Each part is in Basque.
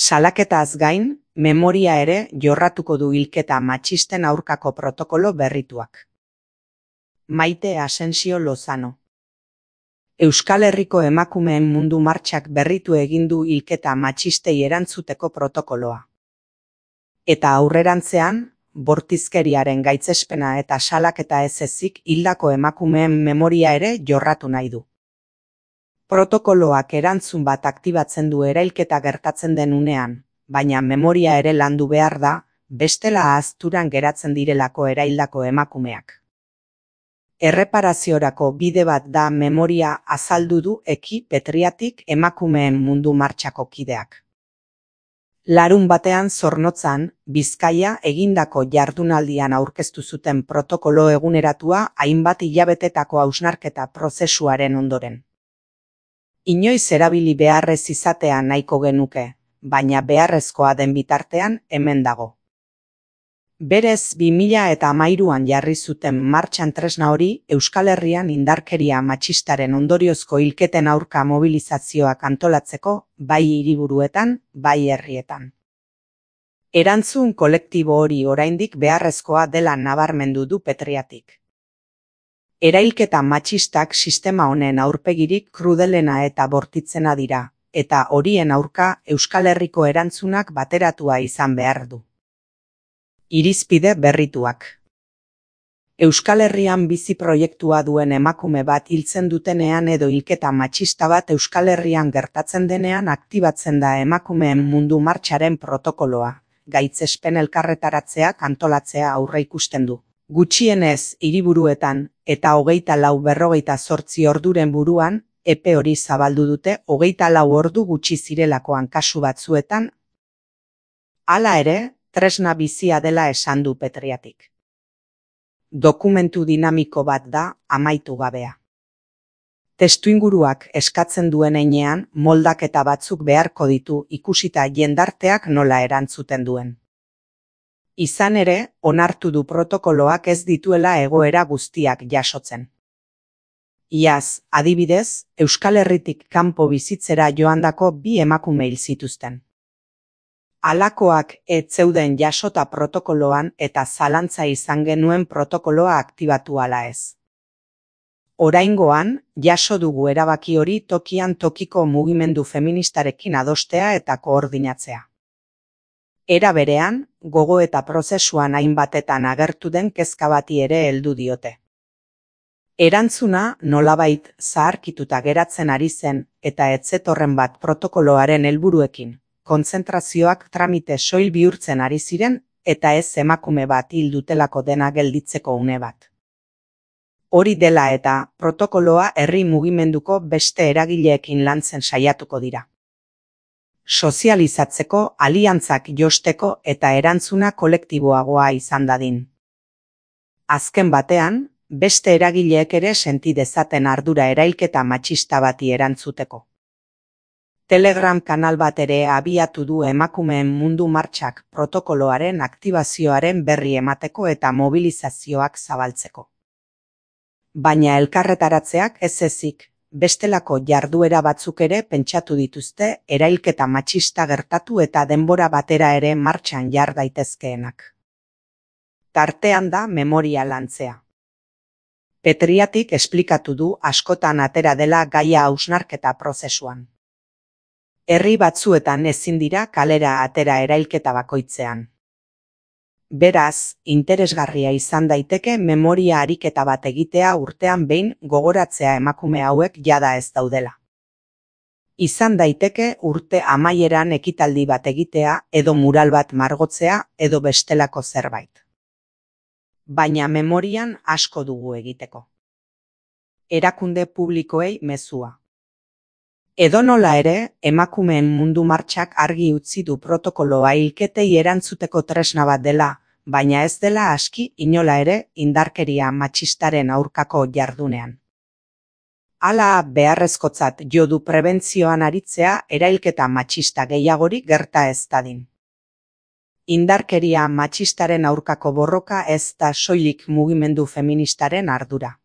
Salaketaz gain, memoria ere jorratuko du hilketa matxisten aurkako protokolo berrituak. Maite Asensio Lozano. Euskal Herriko emakumeen mundu martxak berritu egin du hilketa matxistei erantzuteko protokoloa. Eta aurrerantzean, bortizkeriaren gaitzespena eta salaketa ez ezik hildako emakumeen memoria ere jorratu nahi du. Protokoloak erantzun bat aktibatzen du erailketa gertatzen den unean, baina memoria ere landu behar da, bestela ahazturan geratzen direlako eraildako emakumeak. Erreparaziorako bide bat da memoria azaldu du Eki Petriatik emakumeen mundu martxako kideak. Larunbatean Zornotzan, Bizkaia egindako jardunaldian aurkeztu zuten protokolo eguneratua hainbat hilabetetako hausnarketa prozesuaren ondoren. Inoiz erabili beharrez izatea nahiko genuke, baina beharrezkoa den bitartean hemen dago. Berez 2013an jarri zuten martxan tresna hori Euskal Herrian indarkeria matxistaren ondoriozko hilketen aurka mobilizazioak antolatzeko, bai hiriburuetan, bai herrietan. Erantzun kolektibo hori oraindik beharrezkoa dela nabarmendu du Petriatik. Erailketa matxistak sistema honen aurpegirik krudelena eta bortitzena dira, eta horien aurka Euskal Herriko erantzunak bateratua izan behar du. Irizpide berrituak. Euskal Herrian bizi proiektua duen emakume bat hiltzen dutenean edo hilketa matxista bat Euskal Herrian gertatzen denean aktibatzen da emakumeen mundu martxaren protokoloa, gaitzespen elkarretaratzeak antolatzea aurreikusten du. Gutxienez hiriburuetan eta 24-48 orduren buruan, epe hori zabaldu dute 24 ordu gutxi zirelakoan kasu batzuetan. Hala ere, tresna bizia dela esan du Petriatik. Dokumentu dinamiko bat da amaitu gabea. Testuinguruak eskatzen duen heinean moldaketa batzuk beharko ditu ikusita jendarteak nola erantzuten duen. Izan ere, onartu du protokoloak ez dituela egoera guztiak jasotzen. Iaz, adibidez, Euskal Herritik kanpo bizitzera joandako 2 emakume hil zituzten. Halakoak ez zeuden jasota protokoloan eta zalantza izan genuen protokoloa aktibatu ala ez. Oraingoan, jaso dugu erabaki hori tokian tokiko mugimendu feministarekin adostea eta koordinatzea. Era berean, gogoeta prozesuan hainbatetan agertu den kezka bati ere heldu diote. Erantzuna nolabait zaharkituta geratzen ari zen eta ez zetorren bat protokoloaren helburuekin. Kontzentrazioak tramite soil bihurtzen ari ziren eta ez emakume bat hil dutelako dena gelditzeko une bat. Hori dela eta protokoloa herri mugimenduko beste eragileekin lantzen saiatuko dira. Sozializatzeko, aliantzak josteko eta erantzuna kolektiboagoa izan dadin. Azken batean, beste eragileek ere senti dezaten ardura erailketa matxista bati erantzuteko. Telegram kanal bat ere abiatu du emakumeen mundu martxak protokoloaren aktibazioaren berri emateko eta mobilizazioak zabaltzeko. Baina elkarretaratzeak ez ezik, bestelako jarduera batzuk ere pentsatu dituzte erailketa matxista gertatu eta denbora batera ere martxan jar daitezkeenak. Tartean da memoria lantzea. Petriatik esplikatu du askotan atera dela gaia hausnarketa prozesuan. Herri batzuetan ezin dira kalera atera erailketa bakoitzean. Beraz, interesgarria izan daiteke memoria ariketa bat egitea urtean behin gogoratzea emakume hauek jada ez daudela. Izan daiteke urte amaieran ekitaldi bat egitea edo mural bat margotzea edo bestelako zerbait. Baina memorian asko dugu egiteko. Erakunde publikoei mezua. Edonola ere, emakumeen mundu martxak argi utzi du protokoloa hilketei erantzuteko tresna bat dela, baina ez dela aski inola ere indarkeria matxistaren aurkako jardunean. Hala beharrezkotzat jo du prebentzioan aritzea erailketa matxista gehiagorik gerta ez dadin. Indarkeria matxistaren aurkako borroka ez da soilik mugimendu feministaren ardura.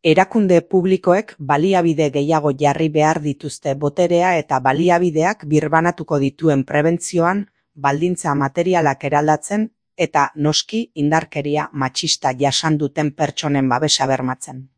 Erakunde publikoek baliabide gehiago jarri behar dituzte boterea eta baliabideak birbanatuko dituen prebentzioan, baldintza materialak eraldatzen eta noski indarkeria matxista jasan duten pertsonen babesa bermatzen.